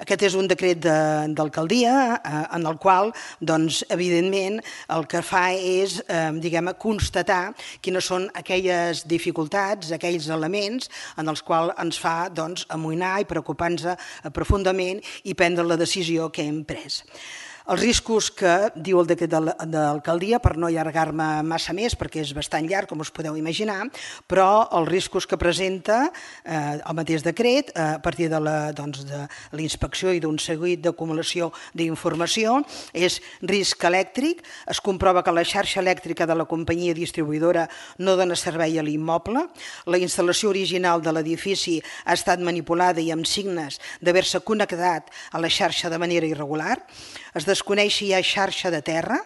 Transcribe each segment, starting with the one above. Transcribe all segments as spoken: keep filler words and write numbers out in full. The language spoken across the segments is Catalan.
Aquest és un decret d'alcaldia en el qual, evidentment, el que fa és constatar quines són aquelles dificultats, aquells elements en els quals ens fa amoïnar i preocupar-nos profundament i prendre la decisió que hem pres. Els riscos que diu el decret d'alcaldia, per no allargar-me massa més, perquè és bastant llarg, com us podeu imaginar, però els riscos que presenta el mateix decret a partir de la inspecció i d'un seguit d'acumulació d'informació és risc elèctric. Es comprova que la xarxa elèctrica de la companyia distribuïdora no dona servei a l'immoble, la instal·lació original de l'edifici ha estat manipulada i amb signes d'haver-se connectat a la xarxa de manera irregular, es desconeix si hi ha xarxa de terra,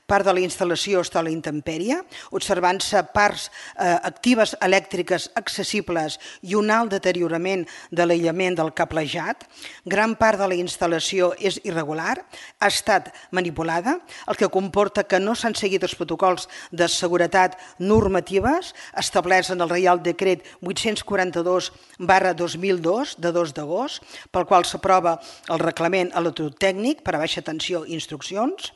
part de la instal·lació està a la intempèrie, observant-se parts actives elèctriques accessibles i un alt deteriorament de l'aïllament del cablejat, gran part de la instal·lació és irregular, ha estat manipulada, el que comporta que no s'han seguit els protocols de seguretat normatives establerts en el Reial Decret vuit-cents quaranta-dos barra dos mil dos, de dos d'agost, pel qual s'aprova el reglament electrotècnic per a baixa tensió i instruccions.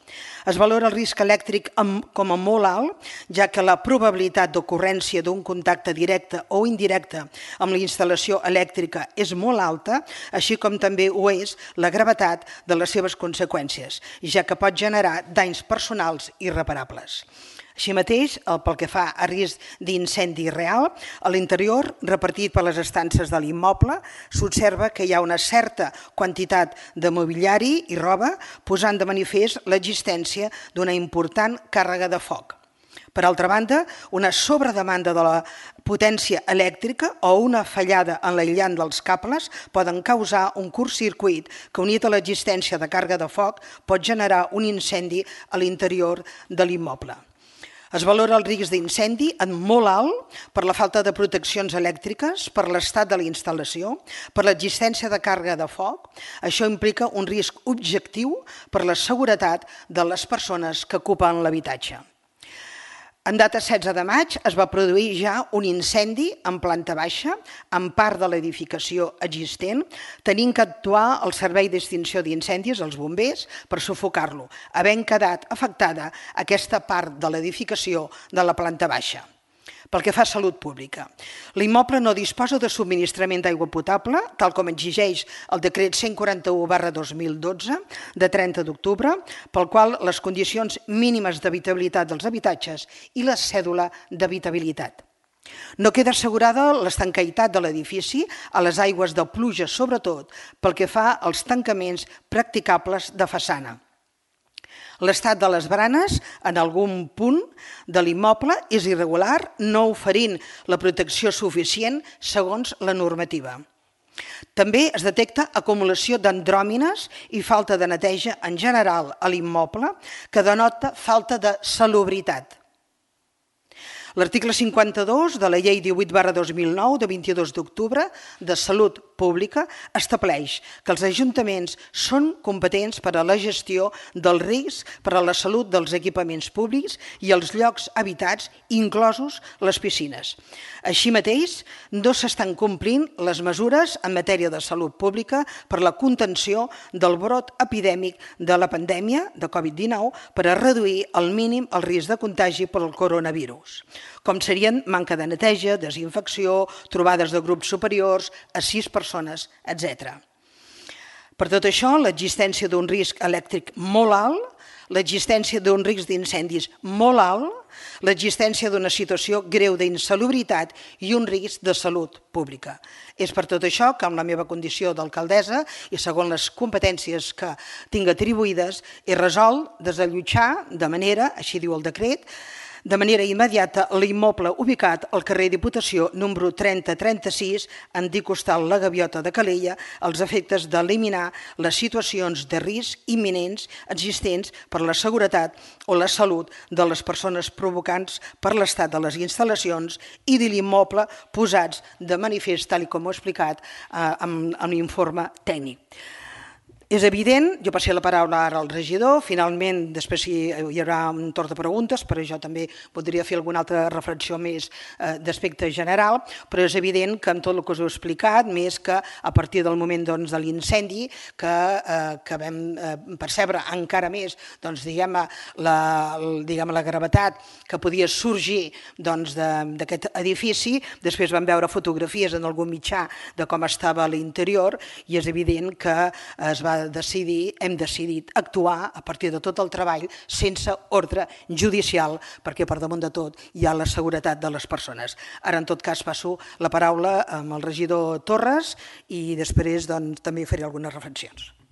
Es valora el risc elèctric com a molt alt, ja que la probabilitat d'ocurrència d'un contacte directe o indirecte amb la instal·lació elèctrica és molt alta, així com també ho és la gravetat de les seves conseqüències, ja que pot generar danys personals irreparables. Així mateix, pel que fa a risc d'incendi real, a l'interior, repartit per les estances de l'immoble, s'observa que hi ha una certa quantitat de mobiliari i roba, posant de manifest l'existència d'una important càrrega de foc. Per altra banda, una sobredemanda de la potència elèctrica o una fallada en l'aïllant dels cables poden causar un curtcircuit que, unit a l'existència de càrrega de foc, pot generar un incendi a l'interior de l'immoble. Es valora el risc d'incendi en molt alt per la falta de proteccions elèctriques, per l'estat de la instal·lació, per l'existència de càrrega de foc. Això implica un risc objectiu per la seguretat de les persones que ocupen l'habitatge. En data setze de maig es va produir ja un incendi en planta baixa, en part de l'edificació existent, tenint que actuar el Servei d'Extinció d'Incendis, els bombers, per sufocar-lo, havent quedat afectada aquesta part de l'edificació de la planta baixa. Pel que fa a salut pública, l'immoble no disposa de subministrament d'aigua potable, tal com exigeix el decret cent quaranta-u barra dos mil dotze, de trenta d'octubre, pel qual les condicions mínimes d'habitabilitat dels habitatges i la cèdula d'habitabilitat. No queda assegurada l'estanqueïtat de l'edifici a les aigües de pluja, sobretot pel que fa als tancaments practicables de façana. L'estat de les baranes en algun punt de l'immoble és irregular, no oferint la protecció suficient segons la normativa. També es detecta acumulació d'andròmines i falta de neteja en general a l'immoble, que denota falta de salubritat. L'article cinquanta-dos de la Llei divuit barra dos mil nou, de vint-i-dos d'octubre, de Salut Pública, estableix que els ajuntaments són competents per a la gestió del risc per a la salut dels equipaments públics i els llocs habitats, inclosos les piscines. Així mateix, no s'estan complint les mesures en matèria de salut pública per a la contenció del brot epidèmic de la pandèmia de Covid dinou per a reduir al mínim el risc de contagi per al coronavirus, com serien manca de neteja, desinfecció, trobades de grups superiors a sis persones, etcètera. Per tot això, l'existència d'un risc elèctric molt alt, l'existència d'un risc d'incendis molt alt, l'existència d'una situació greu d'insalubritat i un risc de salut pública. És per tot això que, amb la meva condició d'alcaldessa i segons les competències que tinc atribuïdes, he resolt desallotjar de manera, així diu el decret, de manera immediata l'immoble ubicat al carrer Diputació número trenta trenta-sis, antic hostal La Gaviota de Calella, als efectes d'eliminar les situacions de risc imminents existents per la seguretat o la salut de les persones provocants per l'estat de les instal·lacions i de l'immoble posats de manifest, tal com ho he explicat en l'informe tècnic. És evident, jo passé la paraula ara al regidor, finalment després hi haurà un torn de preguntes, però jo també podria fer alguna altra reflexió més eh, d'aspecte general, però és evident que amb tot el que us he explicat, més que a partir del moment doncs, de l'incendi, que, eh, que vam eh, percebre encara més doncs, diguem, la, diguem, la gravetat que podia sorgir doncs, d'aquest edifici, després vam veure fotografies en algun mitjà de com estava a l'interior i és evident que es va decidir, hem decidit actuar a partir de tot el treball sense ordre judicial, perquè per damunt de tot hi ha la seguretat de les persones. Ara, en tot cas, passo la paraula amb el regidor Torres i després doncs, també faré algunes reflexions.